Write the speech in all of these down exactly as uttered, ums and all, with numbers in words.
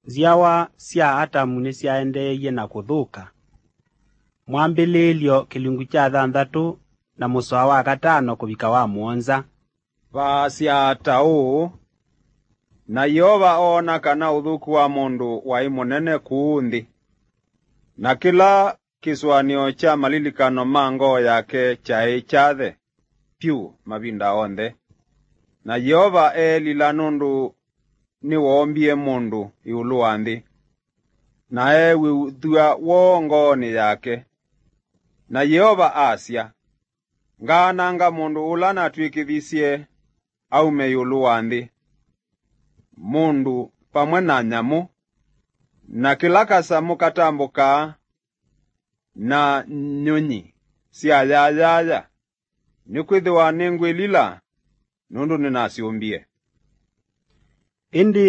Nzyawa sya Atamu nĩsyaendeeie na kũthũka. Mwambĩlĩĩlyo kĩlungu kya thanthatũ na mũsoa wa katano kũvika wa mũonza. Vaasya ta ũũ, na Yeova oona kana ũthũku wa mũndũ waĩ mũnene kũũ nthĩ, na kĩla kĩsũanĩo kya malilikano ma ngoo yake kyaĩ kyathe vyũ mavinda onthe. Na Yeova eelila nũndũ nĩwoombie mũndũ ĩũlũ wa nthĩ, na eew'ĩthw'a woo ngoonĩ yake. Na Yeova asya, ngaananga mũndũ ũla natw'ĩkĩthisye aume ĩũlũ wa nthĩ, mũndũ vamwe na nyamũ, na kĩla kasamũ katambũkaa, na nyũnyi sya yayaya, nĩkwĩthĩwa nĩngwĩlila nũndũ nĩnasyũmbie. Ĩndĩ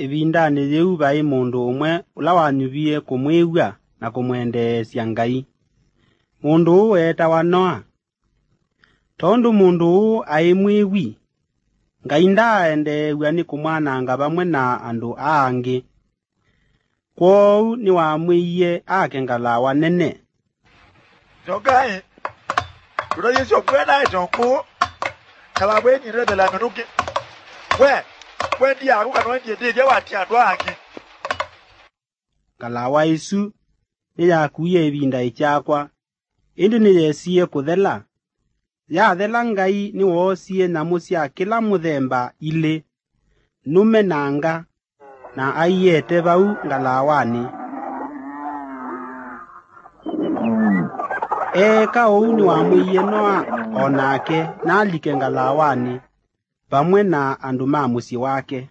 ĩvindanĩ yĩu vaĩ mũndũ ũmwe ũla wanyuvie kũmwĩw'a na kũmwendeesya Ngai. Mũndũ ũũ eetawa Noa. Tondũ mũndũ ũũ aĩ mwĩwi, Ngai ndaaendeew'a nĩ kũmwananga vamwe na andũ aa angĩ. Kwoou nĩwamwĩie ake ngalawa nene. Nyokaĩ, tũtayĩsyo kwenda ĩtongũ, kalawa ĩnyitĩte la mĩtũkĩ. We, we ndiaku kana wendie ndĩthya watia andũ aa angĩ. Ngalawa ĩsu nĩyakuie ĩvinda ĩkyakwa, ĩndĩ nĩyesie kũthela. Yathela, Ngai nĩwoosie nyamũ sya kĩla mũthemba ilĩ, nũme na nga, na aiete vau ngalawanĩ. Eeka ũu nĩwamwĩie Noa o nake nalike ngalawanĩ vamwe na andũ ma mũsyĩ wake.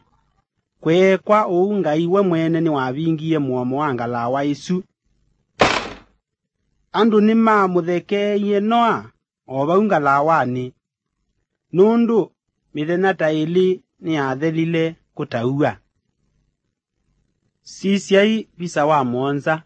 Kweekwa ũu, Ngai we mwene nĩwavingie mũomo wa ngalawa ĩsu. Andũ nĩmamũthekeeie Noa o vau ngalawanĩ, nũndũ mĩthenya ta ĩlĩ nĩyathelile kũtauw'a. Sisyai visa wa mũonza.